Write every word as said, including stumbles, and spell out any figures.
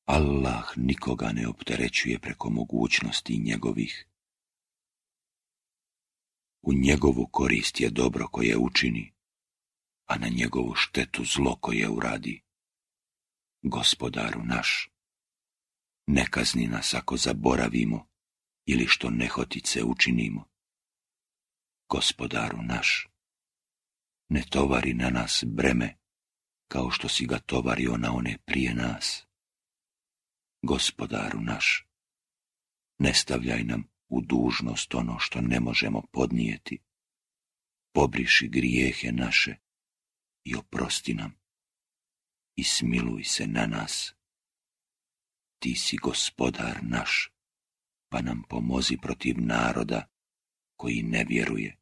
Allah nikoga ne opterećuje preko mogućnosti njegovih. U njegovu korist je dobro koje učini, a na njegovu štetu zlo koje uradi. Gospodaru naš, ne kazni nas ako zaboravimo ili što nehotice učinimo. Gospodaru naš, ne tovari na nas breme kao što si ga tovario na one prije nas. Gospodaru naš, ne stavljaj nam u dužnost ono što ne možemo podnijeti. Pobriši grijehe naše i oprosti nam i smiluj se na nas. Ti si gospodar naš, pa nam pomozi protiv naroda koji ne vjeruje.